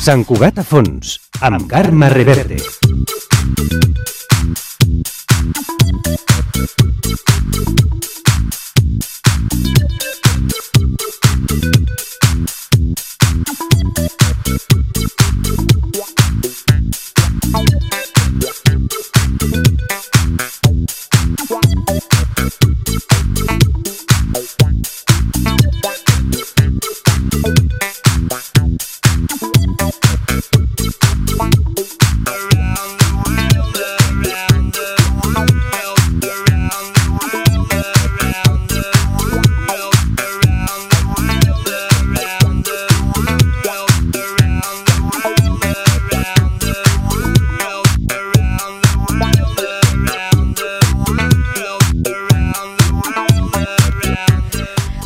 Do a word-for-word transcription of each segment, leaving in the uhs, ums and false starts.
Sant Cugat a fons, amb Carme Reverte.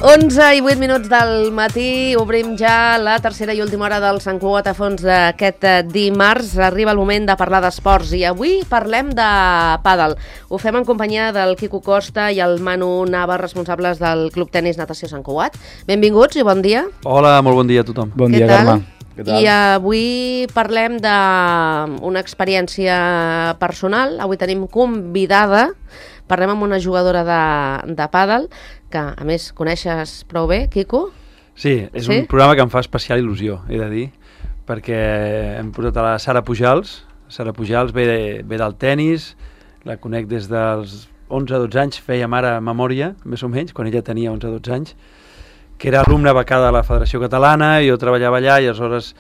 onze i vuit minuts del matí, obrim ja la tercera i última hora del Sant Cugat a fons d'aquest dimarts. Arriba el moment de parlar d'esports i avui parlem de pàdel. Ho fem en companyia del Quico Costa i el Manu Nava, responsables del Club Tenis Natació Sant Cugat. Benvinguts i bon dia. Hola, molt bon dia a tothom. Bon Què dia, tal? Carme. Què tal? I avui parlem d'una experiència personal. Avui tenim convidada, parlem amb una jugadora de, de pàdel, que a més coneixes prou bé, Quico? Sí, és Sí? un programa que em fa especial il·lusió, he de dir, perquè hem posat a la Sara Pujals. Sara Pujals ve, ve del tennis, la conec des dels onze dotze anys, fèiem ara memòria, més o menys, quan ella tenia onze dotze anys, que era alumna becada de la Federació Catalana, i jo treballava allà i aleshores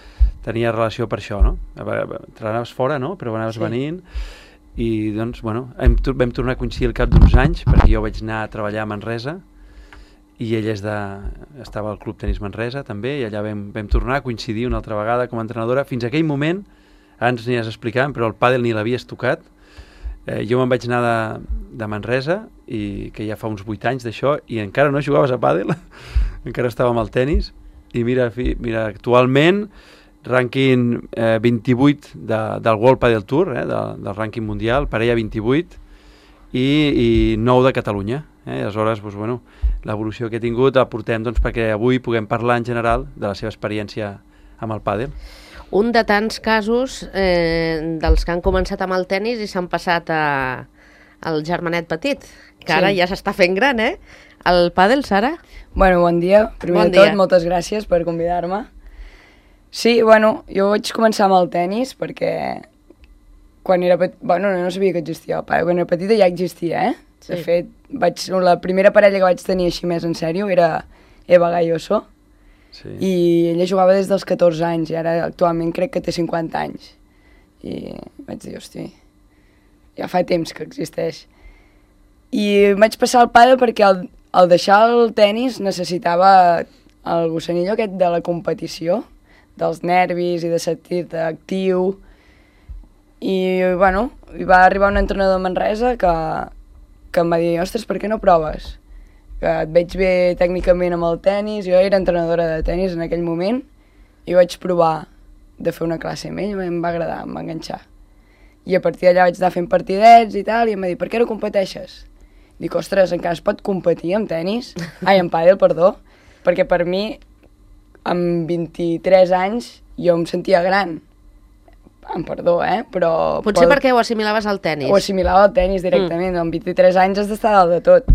tenia relació per això, no? Trenaves fora, no? Però anaves Sí. venint, i doncs, bueno, hem, vam tornar a coincidir al cap d'uns anys, perquè jo vaig anar a treballar a Manresa, i ella és de, estava al Club Tenis Manresa també, i allà vam, vam tornar a coincidir una altra vegada com a entrenadora. Fins aquell moment, ara ens aniràs explicant, però el pàdel ni l'havies tocat. Eh, jo me'n vaig anar de, de Manresa, i que ja fa uns vuit anys d'això, i encara no jugaves a pàdel, encara estava amb el tenis, i mira, fi, mira actualment, rànquing eh, vint-i-vuit de, del World Padel Tour, eh, de, del rànquing mundial, parella vint-i-vuit, i, i nou de Catalunya. Eh? Aleshores, doncs, bueno, l'evolució que he tingut la portem doncs, perquè avui puguem parlar en general de la seva experiència amb el pàdel. Un de tants casos eh, dels que han començat amb el tennis i s'han passat a, al germanet petit, que ara Sí. ja s'està fent gran, eh? El pàdel, Sara? Bueno, bon dia. Primer Bon de tot, dia. moltes gràcies per convidar-me. Sí, bueno, jo vaig començar amb el tennis perquè quan era petit... Bueno, no sabia que existia el pàdel. Quan era petita ja existia, eh? Sí. De fet, vaig... la primera parella que vaig tenir així més en sèrio era Eva Galloso, Sí. i ella jugava des dels catorze anys i ara actualment crec que té cinquanta anys. I vaig dir, hosti, ja fa temps que existeix. I vaig passar al pàdel perquè al, al deixar el tennis necessitava el gossanillo aquest de la competició, dels nervis i de sentir-te actiu. I, bueno, hi va arribar un entrenador de Manresa que, que em va dir, ostres, per què no proves? Que et veig bé tècnicament amb el tennis. Jo era entrenadora de tennis en aquell moment i vaig provar de fer una classe amb ell, em va agradar, em va enganxar. I a partir d'allà vaig anar fent partidets i tal, i em va dir, per què no competeixes? Dic, ostres, encara es pot competir amb tenis? Ai, amb pàdel, perdó. Perquè per mi, amb vint-i-tres anys, jo em sentia gran. Amb perdó, eh? Però... Potser pot... perquè ho assimilaves al tennis. Ho assimilava al tennis directament. Mm. Amb vint-i-tres anys has d'estar dalt de tot.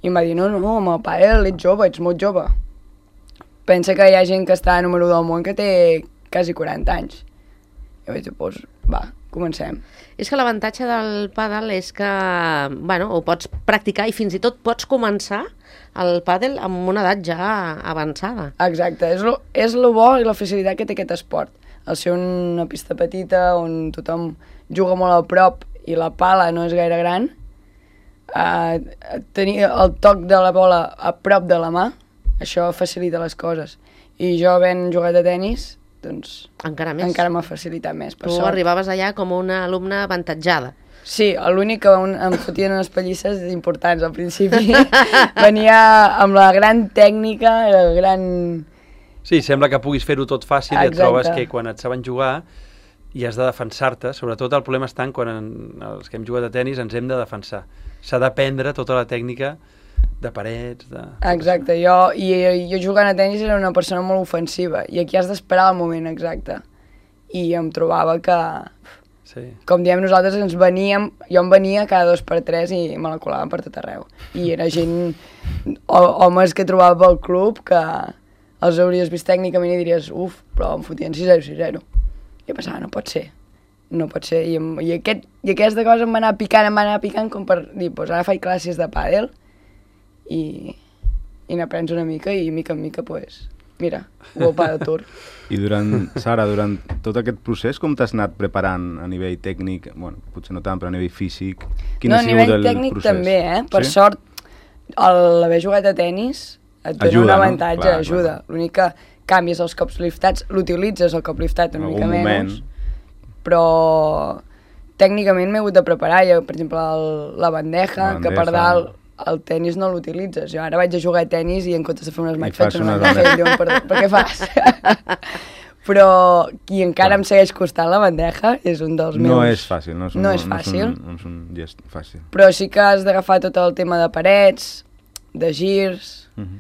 I em va dir, no, no, amb el pàdel ets jove, ets molt jove. Pensa que hi ha gent que està número del món que té quasi quaranta anys. I vaig dir, doncs, va, comencem. És que l'avantatge del pàdel és que, bueno, ho pots practicar i fins i tot pots començar el pàdel amb una edat ja avançada. Exacte, és lo, és lo bo i la facilitat que té aquest esport. Al ser una pista petita on tothom juga molt a prop i la pala no és gaire gran, Uh, tenir el toc de la bola a prop de la mà, això facilita les coses. I jo, havent jugat a tennis, doncs Encara més. encara m'ha facilitat més, per Tu sort. arribaves allà com una alumna avantatjada. Sí, l'únic que un, em fotien unes pallisses importants al principi. Venia amb la gran tècnica, el gran... Sí, sembla que puguis fer-ho tot fàcil i et Exacte. trobes que quan et saben jugar i has de defensar-te, sobretot el problema està en quan en, els que hem jugat a tennis ens hem de defensar. S'ha d'aprendre tota la tècnica de parets, de... Exacte, jo, i, jo jugant a tennis era una persona molt ofensiva i aquí has d'esperar el moment exacte. i em trobava que, Sí. com diem nosaltres, ens veníem, jo em venia cada dos per tres i me la colaven per tot arreu. I era gent, o, homes que trobava pel club, que els hauries vist tècnicament i diries, uf, però em fotien sis zero, sis zero. I jo pensava, no pot ser, no pot ser. I, em, i, aquest, i aquesta cosa em va anar picant, em va anar picant com per dir, doncs ara faig classes de pàdel i, i n'aprens una mica i mica en mica, doncs, pues, mira, World Padel Tour. I durant, Sara, durant tot aquest procés, com t'has anat preparant a nivell tècnic? Bueno, potser no tant, però a nivell físic. Quin No, ha a sigut nivell el tècnic procés? també, eh? Per Sí? sort, el- l'haver jugat a tennis et dona Ajuda, un no? avantatge, Clar, ajuda. clar. L'únic que canvies els cops liftats, l'utilitzes el cop liftat En una algun mica moment. menys, però tècnicament m'he hagut de preparar. Jo, per exemple, el, la bandeja, La que per bandeja. dalt el tennis no l'utilitzes. Jo ara vaig a jugar a tennis i en comptes de fer unes I maig fas faig una unes bandeja. I diuen, per, per què fas? Però qui encara Clar. em segueix costant la bandeja és un dels meus... No és fàcil, no és un, No és fàcil. No és un, no és un gest fàcil. Però sí que has d'agafar tot el tema de parets, de girs, Uh -huh.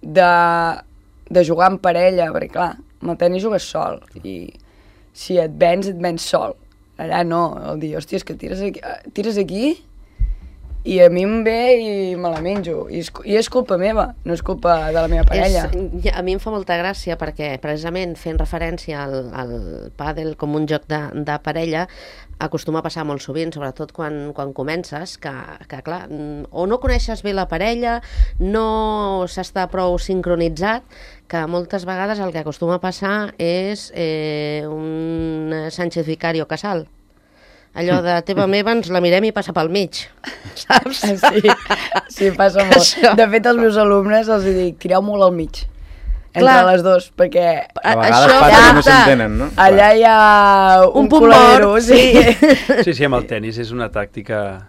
de, de jugar en parella, perquè clar, amb el tenis jugues sol, i si et vens, et vens sol. Allà no, el dir, hòstia, és que tires aquí, eh, tires aquí i a mi em ve i me la menjo. I és, I és culpa meva, no és culpa de la meva parella. És, a mi em fa molta gràcia perquè precisament fent referència al, al pàdel com un joc de, de parella acostuma a passar molt sovint, sobretot quan, quan comences, que, que clar, o no coneixes bé la parella, no s'està prou sincronitzat, que moltes vegades el que acostuma a passar és eh, un Sánchez Vicario Casal. Allò de teva meva ens la mirem i passa pel mig, saps? Sí, sí, passa molt. Això. De fet, als meus alumnes els dic, tireu molt al mig, entre Clar. les dues, perquè A vegades això passa que no passa. s'entenen, no? allà hi ha un, Un punt coladero, mort, sí. Sí, sí, amb el tennis és una tàctica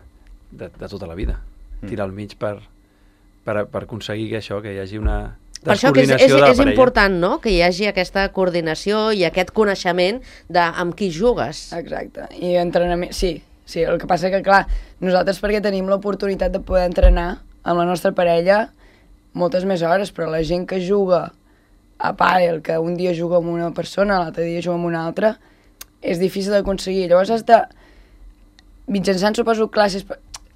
de, de tota la vida. Tirar al mig per, per, per aconseguir que això, que hi hagi una Per això que és, és, descoordinació de la és parella. important, no?, que hi hagi aquesta coordinació i aquest coneixement de amb qui jugues. Exacte, i entrenament, sí, sí, el que passa que, clar, nosaltres perquè tenim l'oportunitat de poder entrenar amb la nostra parella moltes més hores, però la gent que juga a pàdel, que un dia juga amb una persona, l'altre dia juga amb una altra, és difícil d'aconseguir. Llavors has de, mitjançant, suposo, classes,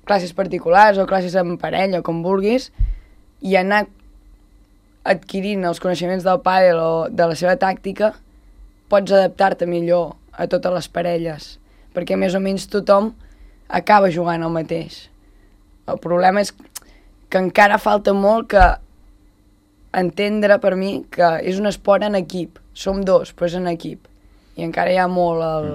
classes particulars o classes en parella, com vulguis, i anar adquirint els coneixements del pàdel o de la seva tàctica, pots adaptar-te millor a totes les parelles, perquè més o menys tothom acaba jugant el mateix. El problema és que encara falta molt que entendre per mi que és un esport en equip. Som dos, però és en equip. I encara hi ha molt el...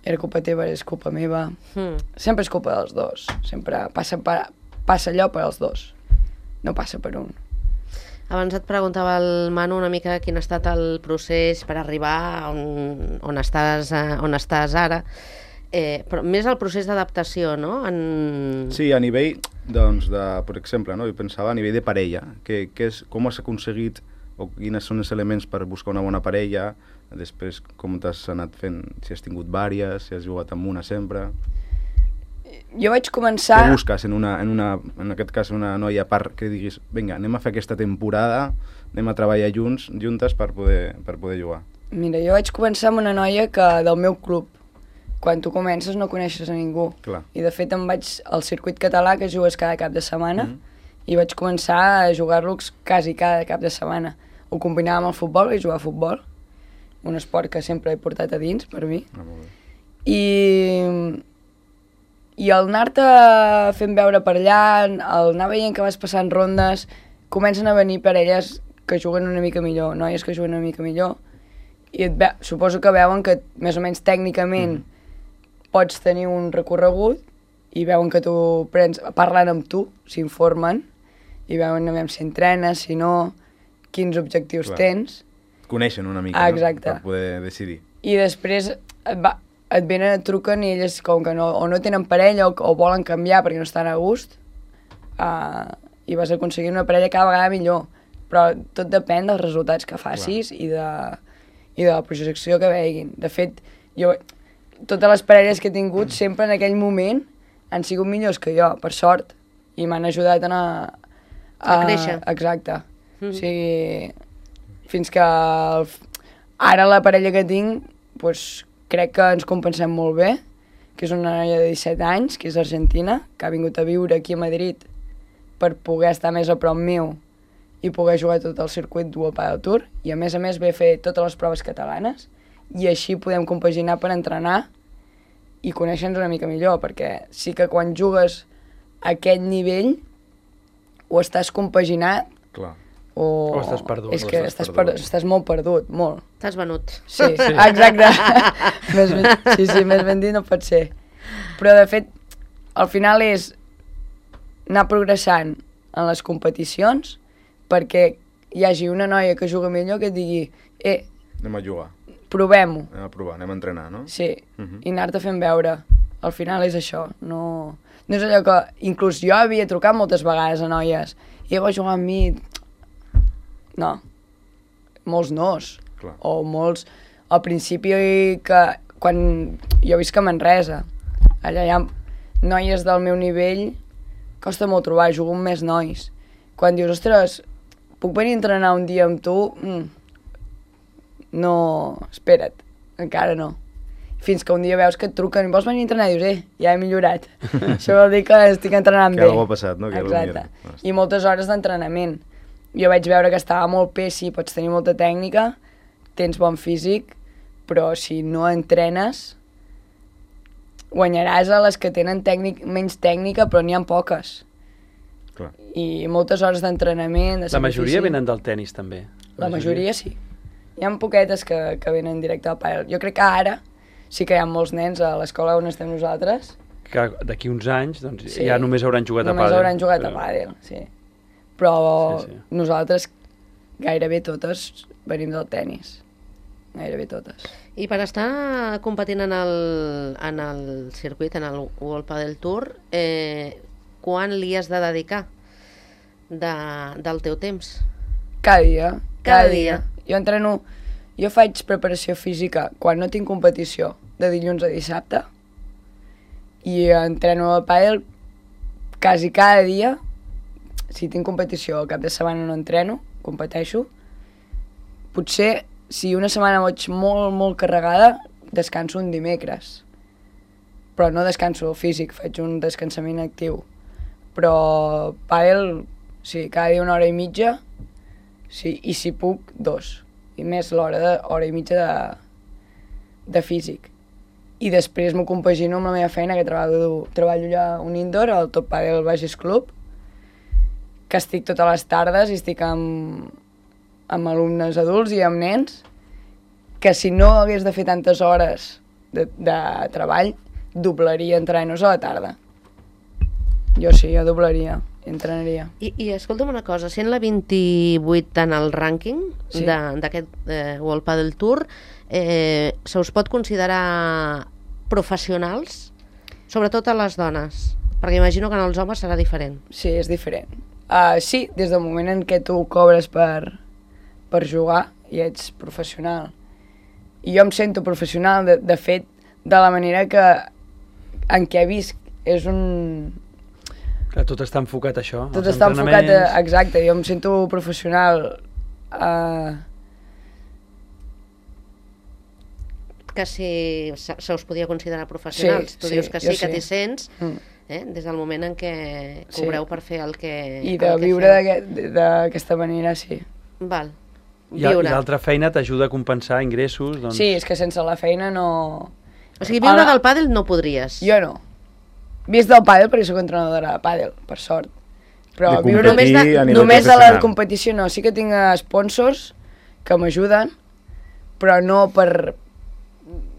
Era culpa teva, és culpa meva. Mm. Sempre és culpa dels dos. Sempre passa, per, passa allò per als dos. No passa per un. Abans et preguntava el Manu una mica quin ha estat el procés per arribar on, on, estàs, eh, on estàs ara, eh, però més el procés d'adaptació, no? En... Sí, a nivell, doncs, de, per exemple, no? Jo pensava a nivell de parella, que, que és, com has aconseguit o quins són els elements per buscar una bona parella, després com t'has anat fent, si has tingut vàries, si has jugat amb una sempre... Jo vaig començar... Què busques en, una, en, una, en aquest cas una noia a part que diguis vinga, anem a fer aquesta temporada, anem a treballar junts, juntes per poder, per poder jugar? Mira, jo vaig començar amb una noia que del meu club. Quan tu comences no coneixes a ningú. Clar. I de fet em vaig al circuit català que jugues cada cap de setmana Mhm. i vaig començar a jugar-los quasi cada cap de setmana. Ho combinava amb el futbol, vaig jugar a futbol, un esport que sempre he portat a dins per mi. Ah, molt bé. I, i al anar-te fent veure per allà, al anar veient que vas passant rondes, comencen a venir parelles que juguen una mica millor, noies que juguen una mica millor, i et ve, suposo que veuen que més o menys tècnicament mm. pots tenir un recorregut i veuen que tu prens, parlen amb tu, s'informen, i veuen a veure si entrenes, si no, quins objectius Clar. tens. Et coneixen una mica, Ah, no? exacte. Per poder decidir. I després et, va, et venen, et truquen i elles com que no, o no tenen parella o, o volen canviar perquè no estan a gust, uh, i vas aconseguir una parella cada vegada millor. Però tot depèn dels resultats que facis i de, i de la projecció que veguin. De fet, jo, totes les parelles que he tingut sempre en aquell moment han sigut millors que jo, per sort, i m'han ajudat a anar... A créixer. Exacte. Mm. O sigui, fins que el, Ara la parella que tinc, doncs, crec que ens compensem molt bé, que és una noia de disset anys, que és argentina, que ha vingut a viure aquí a Madrid per poder estar més a prop meu i poder jugar tot el circuit World Padel Tour, i a més a més ve a fer totes les proves catalanes, i així podem compaginar per entrenar i conèixer-nos una mica millor, perquè sí que quan jugues a aquest nivell o estàs compaginat Clar. o, O estàs perdut. és O que estàs estàs, perdut. per, estàs molt perdut, molt. T'has venut. Sí, sí. Exacte. més ben, sí, sí, més ben dit no pot ser. Però, de fet, al final és anar progressant en les competicions perquè hi hagi una noia que juga millor que et digui eh, Anem a jugar, provem-ho. anem a provar, anem a entrenar, no? Sí, Mhm. i anar-te fent veure. Al final és això, no... No és allò que... Inclús jo havia trucat moltes vegades a noies i heu a jugar amb mi... No. Molts nos. Clar. O molts... Al principi que... Quan jo visc a Manresa, allà hi ha noies del meu nivell, costa molt trobar, jugo amb més nois. Quan dius, ostres, puc venir a entrenar un dia amb tu? Mm. No, espera't, encara no. Fins que un dia veus que et truquen i vols venir a entrenar i dius, eh, ja he millorat. Això vol dir que estic entrenant Que bé. algú ha passat, no? Que Exacte. potser- I moltes hores d'entrenament. Jo vaig veure que estava molt bé, sí, pots tenir molta tècnica, tens bon físic, però si no entrenes, guanyaràs a les que tenen tècnic, menys tècnica, però n'hi ha poques. Clar. I moltes hores d'entrenament, de La majoria sacrifici. venen del tennis, també. La majoria sí. Hi ha poquetes que, que venen directe al pàdel. Jo crec que ara sí que hi ha molts nens a l'escola on estem nosaltres. Que d'aquí uns anys doncs, Sí. ja només hauran jugat Només a pàdel. hauran jugat a pàdel, sí. Però Sí, sí. nosaltres gairebé totes venim del tennis. Gairebé totes. I per estar competint en el, en el circuit, en el World Padel Tour, eh, quan li has de dedicar de, del teu temps? Cada dia. Cada dia. Jo entreno... Jo faig preparació física quan no tinc competició, de dilluns a dissabte, i entreno a pàdel quasi cada dia. Si tinc competició al cap de setmana no entreno, competeixo. Potser, si una setmana vaig molt, molt carregada, descanso un dimecres. Però no descanso físic, faig un descansament actiu. Però pàdel, sí, cada dia una hora i mitja, sí, i si puc, dos. I més l'hora de, hora i mitja de, de físic. I després m'ho compagino amb la meva feina, que treballo, treballo allà a un indoor, al Top Padel Bages Club, que estic totes les tardes i estic amb, amb alumnes adults i amb nens, que si no hagués de fer tantes hores de, de treball, doblaria entrenos a la tarda. Jo sí, jo doblaria, entrenaria. I, i escolta'm una cosa, sent la vint-i-vuit en el rànquing Sí. de- d'aquest eh, World Padel Tour, eh, se us pot considerar professionals? Sobretot a les dones, perquè imagino que en els homes serà diferent. Sí, és diferent. Uh, sí, des del moment en què tu cobres per, per jugar i ets professional. I jo em sento professional, de, de fet, de la manera que en què visc. És un... Que tot està enfocat a això. Tot als està enfocat a... entrenaments. Exacte, jo em sento professional. Uh, Que si se, se us podia considerar professionals. Sí, tu sí, dius que jo sí, que sí. t'hi sents, mm. eh, des del moment en què Sí. cobreu per fer el que I de el que viure feu. d'aquest- d'aquesta manera, sí. Val. I, I Viure. l'altra feina t'ajuda a compensar ingressos. Doncs... Sí, és que sense la feina no... O sigui, viure Ara- del pàdel no podries. Jo no. Vist del pàdel perquè sóc entrenadora de pàdel, per sort. Però De viure competir només de, a nivell només de la professional. competició no. Sí que tinc sponsors que m'ajuden, però no per...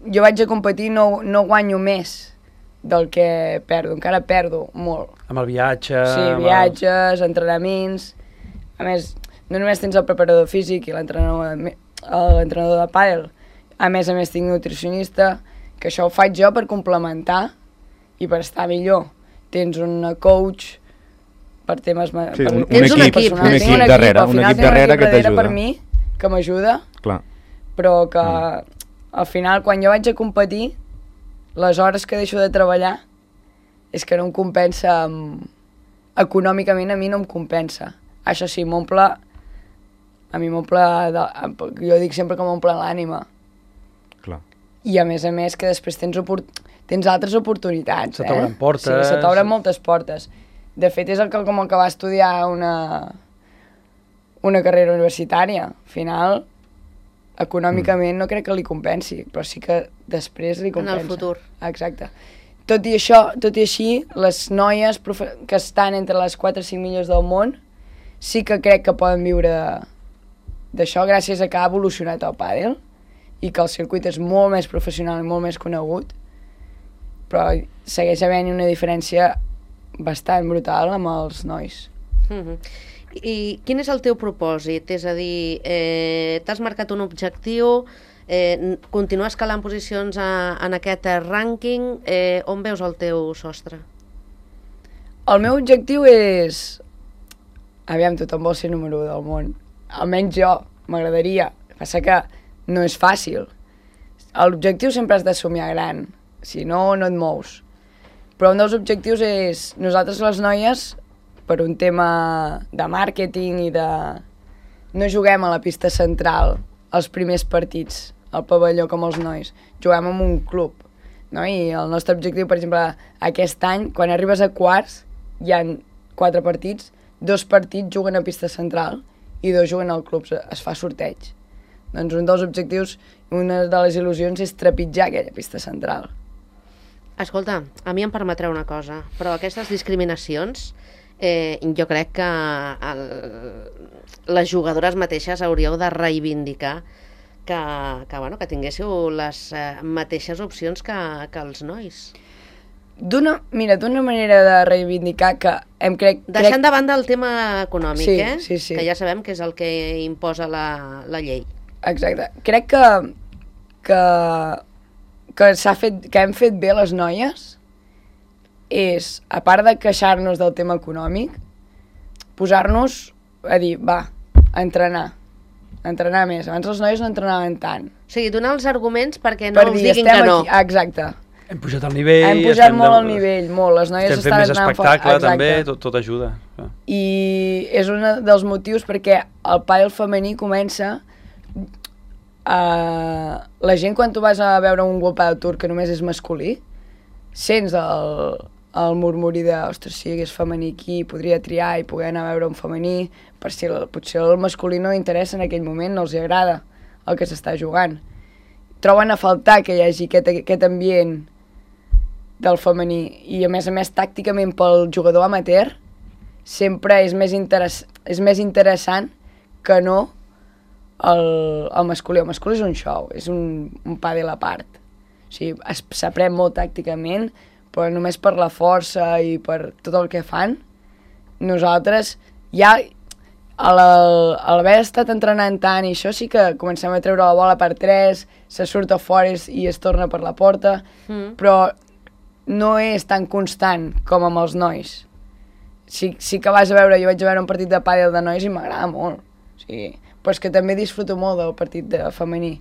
Jo vaig a competir, no, no guanyo més del que perdo. Encara perdo molt. Amb el viatge... Sí, amb viatges, entrenaments... A més, no només tens el preparador físic i l'entrenador l'entrenador de pàdel. A més a més tinc nutricionista, que això ho faig jo per complementar i per estar millor. Tens una coach per temes... ma- Sí, per, un- un tens equip, personal. un Tinc equip darrere, al un final equip tinc darrere que darrere t'ajuda. per mi, que m'ajuda, Clar. però que al final, quan jo vaig a competir, les hores que deixo de treballar és que no em compensa amb... econòmicament a mi no em compensa. Això sí, m'omple a mi m'omple, de, jo dic sempre que m'omple l'ànima. Clar. I a més a més que després tens, oport... tens altres oportunitats. Se t'obren eh? portes. Sí, se t'obren moltes portes. De fet, és el que, com el que va estudiar una, una carrera universitària. Al final, econòmicament mm. no crec que li compensi, però sí que després li compensa. En el futur. Exacte. Tot i això, tot i així, les noies profe... que estan entre les quatre o cinc millors del món sí que crec que poden viure d'això gràcies a que ha evolucionat el pàdel i que el circuit és molt més professional i molt més conegut, però segueix havent una diferència bastant brutal amb els nois. Mm-hmm. I quin és el teu propòsit? És a dir, eh, t'has marcat un objectiu, eh, continuar escalant posicions a, en aquest rànquing, eh, on veus el teu sostre? El meu objectiu és... Aviam, tothom vol ser número u del món. Almenys jo, m'agradaria. Passa que no és fàcil. L'objectiu sempre has de somiar gran, si no, no et mous. Però un dels objectius és, nosaltres les noies, per un tema de màrqueting i de... No juguem a la pista central els primers partits, al pavelló com els nois. Juguem en un club. No? I el nostre objectiu, per exemple, aquest any, quan arribes a quarts, hi ha quatre partits, dos partits juguen a pista central i dos juguen al club, es fa sorteig. Doncs un dels objectius, una de les il·lusions és trepitjar aquella pista central. Escolta, a mi em permetreu una cosa, però aquestes discriminacions eh, jo crec que el, les jugadores mateixes hauríeu de reivindicar que, que, bueno, que tinguéssiu les eh, mateixes opcions que, que els nois. D'una, mira, d'una manera de reivindicar que em crec... Deixant crec... de banda el tema econòmic, sí, eh? Sí, sí. Que ja sabem que és el que imposa la, la llei. Exacte. Crec que, que, que, s'ha fet, que hem fet bé les noies és, a part de queixar-nos del tema econòmic, posar-nos a dir, va, a entrenar. A entrenar més. Abans les noies no entrenaven tant. O sigui, donar els arguments perquè no per els dir, diguin que no. Aquí. Exacte. Hem pujat el nivell... Hem pujat molt de... el nivell, molt. Les noies estem fent estan més anant espectacle, fort. també, tot, tot ajuda. I és un dels motius perquè el pàdel femení comença... Uh, la gent, quan tu vas a veure un World Padel Tour que només és masculí, sents el, el murmuri de ostres, si hi hagués femení aquí, podria triar i poder anar a veure un femení, per si el, potser el masculí no interessa en aquell moment, no els agrada el que s'està jugant. Troben a faltar que hi hagi aquest, aquest ambient del femení i a més a més tàcticament pel jugador amateur sempre és més, interess és més interessant que no el, el masculí. El masculí és un show, és un, un pàdel a part. O sigui, s'aprèn molt tàcticament, però només per la força i per tot el que fan, nosaltres ja a l'haver estat entrenant tant i això sí que comencem a treure la bola per tres, se surt a fora i es torna per la porta, mm. però no és tan constant com amb els nois. Sí, sí que vas a veure, jo vaig a veure un partit de pàdel de nois i m'agrada molt. O sigui, però és que també disfruto molt del partit de femení.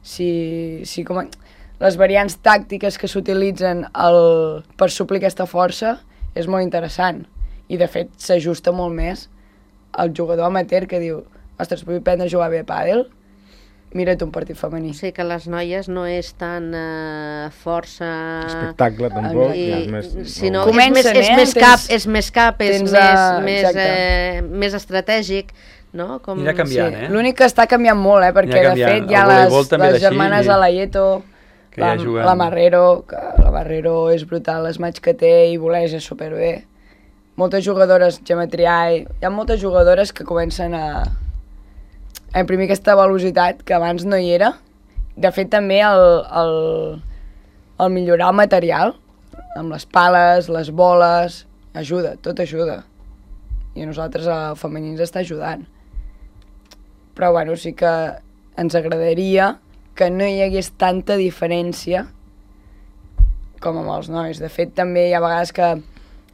Si, si com a, les variants tàctiques que s'utilitzen per suplir aquesta força és molt interessant. I de fet s'ajusta molt més al jugador amateur que diu ostres, vull aprendre a jugar bé a pàdel, mira't un partit femení. O sigui que les noies no és tan uh, força... Espectacle, tampoc. I, ja és més, sinó no. és més, és eh? més cap, és més cap, és tens, més, uh, més, eh, més estratègic, no? Com... Anirà canviant, sí. eh? L'únic que està canviant molt, eh? Perquè de fet hi ha les, les germanes i... Alayeto, la, ja la Marrero, que la Marrero és brutal, les matxs que té i voleja superbé. Moltes jugadores, Gemma Triay, hi ha moltes jugadores que comencen a... a imprimir aquesta velocitat que abans no hi era. De fet, també el, el, el millorar el material, amb les pales, les boles, ajuda, tot ajuda. I a nosaltres el femení ens està ajudant. Però bueno, sí que ens agradaria que no hi hagués tanta diferència com amb els nois. De fet, també hi ha vegades que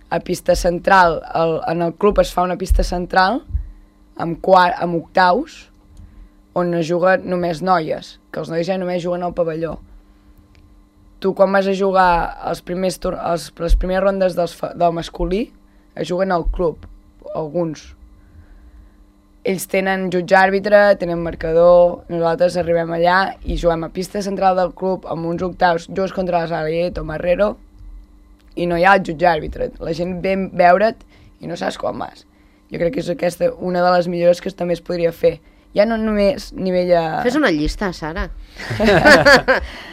a pista central, el, en el club es fa una pista central amb, quart, amb octaus, on es juguen només noies, que els nois ja només juguen al pavelló. Tu quan vas a jugar els primers els, les primeres rondes dels, del masculí, es juguen al club, alguns. ells tenen jutge àrbitre, tenen marcador, nosaltres arribem allà i juguem a pista central del club amb uns octaus, jugues contra la Salieto, Marrero, i no hi ha el jutge àrbitre. La gent ve a veure't i no saps quan vas. Jo crec que és aquesta una de les millores que també es podria fer. Ja no només nivell a... Fes una llista, Sara.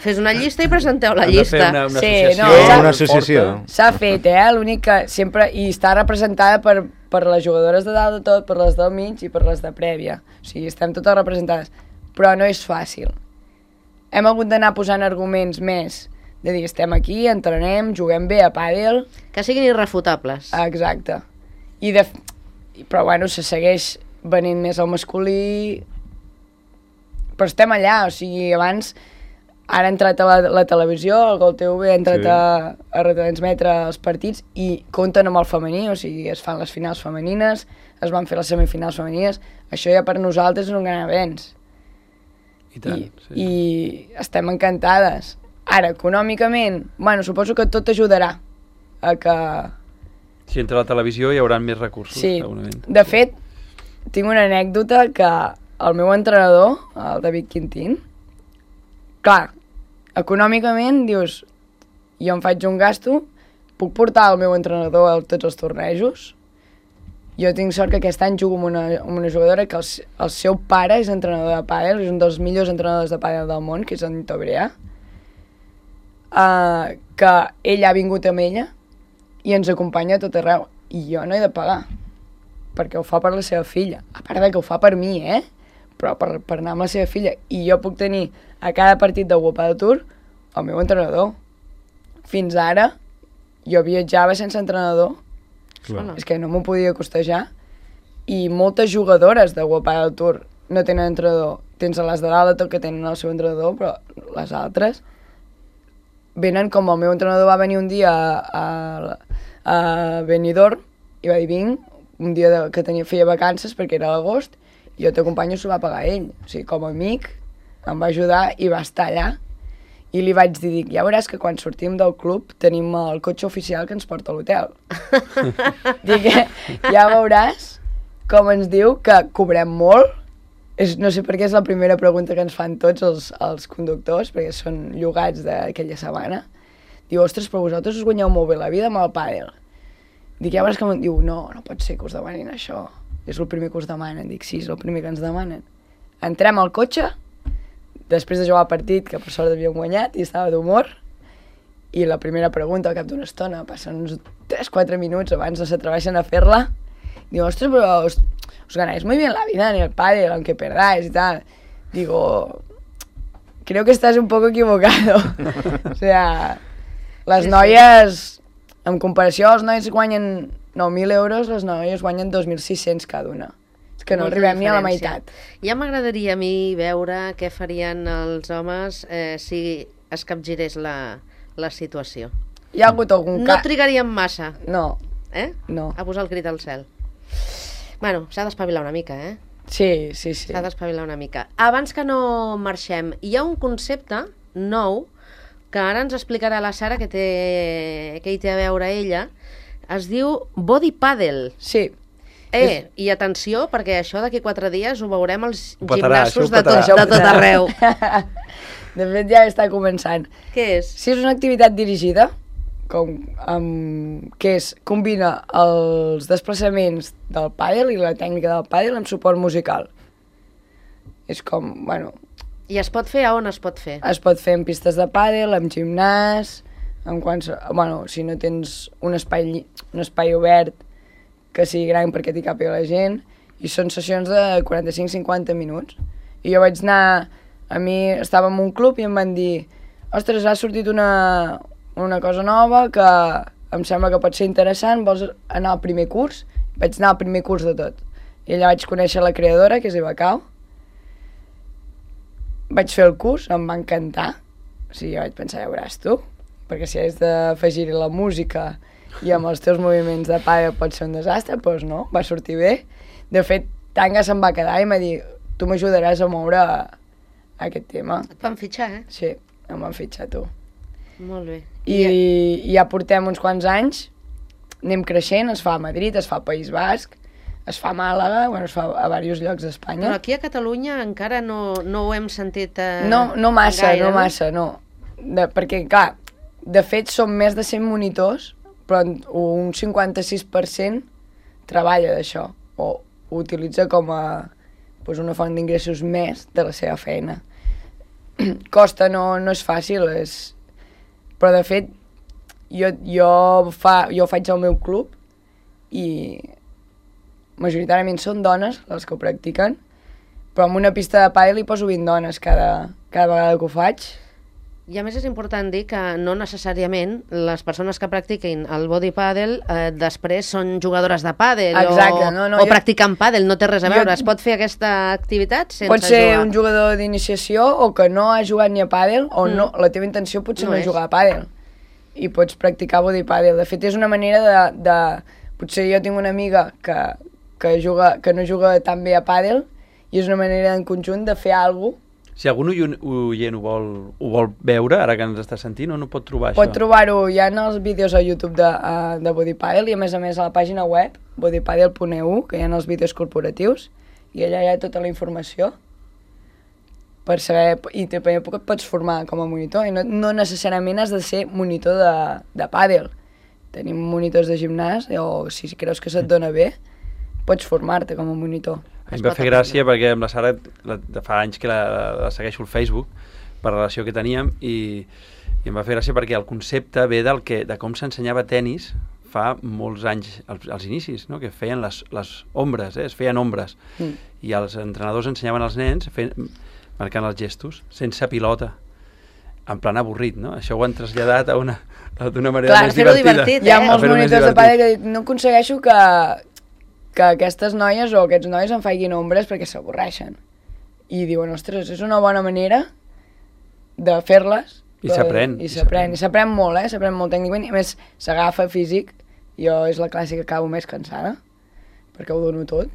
Fes una llista i presenteu la Hem de fer llista. una, una Sí, associació. no, s'ha- Una associació. S'ha fet, eh? L'únic que sempre... I està representada per, per les jugadores de dalt de tot, per les del mig i per les de prèvia. O sigui, estem totes representades. Però no és fàcil. Hem hagut d'anar posant arguments més de dir, estem aquí, entrenem, juguem bé a pàdel... Que siguin irrefutables. Exacte. I de... Però bueno, se segueix venint més al masculí... Però estem allà, o sigui, abans... Ara ha entrat a la, la televisió, el Gol T V ha entrat Sí. a, a retransmetre els partits i compten amb el femení, o sigui, es fan les finals femenines, es van fer les semifinals femenines, això ja per nosaltres és un gran avenç. I tant, I, sí. I estem encantades. Ara, econòmicament, bueno, suposo que tot ajudarà a que... Si entra a la televisió hi haurà més recursos, Sí, segurament. de fet, tinc una anècdota que el meu entrenador, el David Quintín, clar, econòmicament dius, jo em faig un gasto, puc portar el meu entrenador a tots els tornejos? Jo tinc sort que aquest any jugo amb una, amb una jugadora que el, el seu pare és entrenador de pàdel, és un dels millors entrenadors de pàdel del món, que és en Nito Brea, uh, que ell ha vingut amb ella i ens acompanya a tot arreu. I jo no he de pagar, perquè ho fa per la seva filla. A part de que ho fa per mi, eh? Però per, per anar amb la seva filla. I jo puc tenir a cada partit de World Padel Tour el meu entrenador. Fins ara, jo viatjava sense entrenador. Hola. És que no m'ho podia costejar. I moltes jugadores de World Padel Tour no tenen entrenador. Tens a les de dalt de tot que tenen el seu entrenador, però les altres venen com el meu entrenador va venir un dia a, a, a Benidorm i va dir vinc, un dia de, que tenia, feia vacances perquè era l'agost, i jo t'acompanyo, s'ho va pagar ell. O sigui, com a amic, em va ajudar i va estar allà. I li vaig dir, dic, ja veuràs que quan sortim del club tenim el cotxe oficial que ens porta a l'hotel. Dic, ja veuràs com ens diu que cobrem molt. És, no sé per què és la primera pregunta que ens fan tots els, els conductors, perquè són llogats d'aquella setmana. Diu, ostres, però vosaltres us guanyeu molt bé la vida amb el pàdel. Dic, ja veuràs que em diu, no, no pot ser que us demanin això. És el primer que us demanen. Dic, sí, és el primer que ens demanen. Entrem al cotxe, després de jugar el partit, que per sort havíem guanyat i estava d'humor, i la primera pregunta al cap d'una estona, passen uns tres quatre minuts abans no s'atreveixen a fer-la, diu, ostres, però us, os ganáis muy bien la vida en el pádel, aunque perdáis y tal. Digo, creo que estás un poco equivocado. O sea, les Sí, noies, en comparació als nois guanyen nou mil euros, les noies guanyen dos mil sis-cents cada una. És que no Molta arribem ni a la diferència. meitat. Ja m'agradaria a mi veure què farien els homes eh, si es capgirés la, la situació. Hi ha hagut algun No cas... trigaríem massa, No, eh? no. A posar el crit al cel. Bueno, s'ha d'espavilar una mica, eh? Sí, sí, sí. S'ha d'espavilar una mica. Abans que no marxem, hi ha un concepte nou que ara ens explicarà la Sara, que, té, que hi té a veure ella. Es diu body paddle. Sí. Eh, i atenció, perquè això d'aquí quatre dies ho veurem als Ho petarà, gimnasos això ho de tot, petarà. de tot arreu. De fet, ja està començant. Què és? Si és una activitat dirigida, com, um, que és, combina els desplaçaments del pàdel i la tècnica del pàdel amb suport musical. És com, bueno, I es pot fer a on es pot fer? es pot fer en pistes de pàdel, en gimnàs, en quants, bueno, si no tens un espai, lli- un espai obert que sigui gran perquè t'hi càpiga la gent, i són sessions de quaranta-cinc a cinquanta minuts. I jo vaig anar, a mi estava en un club i em van dir, ostres, ha sortit una, una cosa nova que em sembla que pot ser interessant, vols anar al primer curs? Vaig anar al primer curs de tot. I allà vaig conèixer la creadora, que és Eva Cau. Vaig fer el curs, em va encantar. O sigui, jo vaig pensar, ja veuràs tu, perquè si has d'afegir-hi la música i amb els teus moviments de pàdel pot ser un desastre, doncs no, va sortir bé. De fet, Tanga se'n va quedar i m'ha dit, tu m'ajudaràs a moure aquest tema. Et van fitxar, eh? Sí, em van fitxar tu. Molt bé. I, i ja portem uns quants anys, anem creixent, es fa a Madrid, es fa al País Basc, Es fa a Màlaga, bueno, es fa a diversos llocs d'Espanya. Però aquí a Catalunya encara no, no ho hem sentit eh, No, no massa, gaire, no massa, no. De, perquè, clar, de fet són més de cent monitors, però un cinquanta-sis per cent treballa d'això, o ho utilitza com a pues, una font d'ingressos més de la seva feina. Costa, no, no és fàcil, és... però de fet jo, jo, fa, jo faig al meu club i majoritàriament són dones les que ho practiquen, però en una pista de pàdel hi poso vint dones cada, cada vegada que ho faig. I a més és important dir que no necessàriament les persones que practiquin el body paddle eh, després són jugadores de pàdel Exacte, o, no, no, o jo- practiquen pàdel, no té res a veure. Jo- Es pot fer aquesta activitat sense Pot ser jugar. un jugador d'iniciació o que no ha jugat ni a pàdel o Mm. no, la teva intenció potser No no, és. és jugar a pàdel i pots practicar body pàdel. De fet, és una manera de, de... Potser jo tinc una amiga que, que, juga, que no juga tan bé a pàdel i és una manera en conjunt de fer alguna cosa. Si algun oient oient ho vol, ho vol veure, ara que ens està sentint, on ho pot trobar, Pot això? trobar-ho ja en els vídeos a YouTube de, uh, de Body Paddle i a més a més a la pàgina web body paddle punt e u, que hi ha els vídeos corporatius i allà hi ha tota la informació per saber, i també et pots formar com a monitor i no, no necessàriament has de ser monitor de, de pàdel. Tenim monitors de gimnàs o si creus que se't dona bé pots formar-te com a monitor. A mi em va fer gràcia perquè amb la Sara la, de fa anys que la, la segueixo al Facebook per la relació que teníem i, i em va fer gràcia perquè el concepte ve del que, de com s'ensenyava tennis fa molts anys als, als inicis, no? Que feien les, les ombres, eh? Es feien ombres Mm. i els entrenadors ensenyaven als nens fent, marcant els gestos sense pilota en plan avorrit, no? Això ho han traslladat a una d'una manera Clar, més fer-ho divertida. divertit, Hi ha eh? molts Fer-ho més monitors de divertit. pàdel que dic, no aconsegueixo que, que aquestes noies o aquests nois em facin ombres perquè s'avorreixen. I diuen, ostres, és una bona manera de fer-les. I però- s'aprèn, I i s'aprèn, i s'aprèn molt, eh? S'aprèn molt tècnicament. I a més, s'agafa físic. Jo és la classe que acabo més cansada, perquè ho dono tot.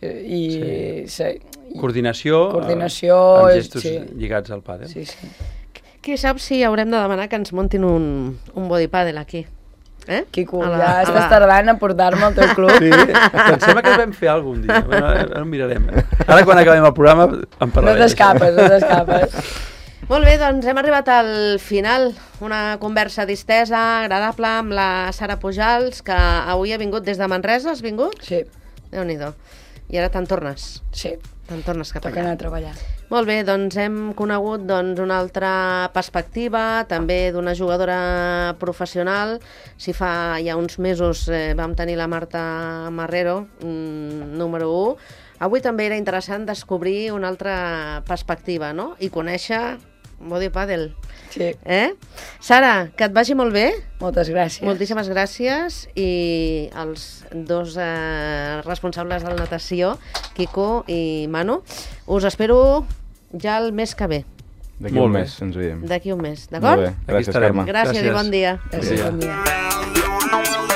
I... Sí. I Coordinació, Coordinació, eh, amb és- gestos sí. lligats al pàdel. Sí, sí. Qui sap si haurem de demanar que ens montin un, un body paddle aquí? Eh? Quico, A la- ja a estàs la- tardant a portar-me al teu club. Sí, em sembla que vam fer algun dia. Bueno, ara ho mirarem. Ara quan acabem el programa en No parlarem. t'escapes, no t'escapes. Molt bé, doncs hem arribat al final. Una conversa distesa, agradable, amb la Sara Pujals, que avui ha vingut des de Manresa. Has vingut? Sí, Déu-n'hi-do. I ara te'n tornes. sí, Te'n tornes cap toca allà. anar a treballar. Molt bé, doncs hem conegut doncs, una altra perspectiva, també d'una jugadora professional. Si fa ja uns mesos eh, vam tenir la Marta Marrero, mm, número u. Avui també era interessant descobrir una altra perspectiva, no? I conèixer body paddle. Sí, Eh? Sara, que et vagi molt bé. moltes gràcies. Moltíssimes gràcies i els dos eh, responsables de la natació, Quico i Manu, us espero ja el mes que ve, D'aquí Molt un bé. mes ens veiem. d'aquí un mes, Molt d'acord? bé, Aquí gràcies, estarem. Carme. Gràcies, Gràcies. i bon dia. Gràcies, Bon dia. bon dia.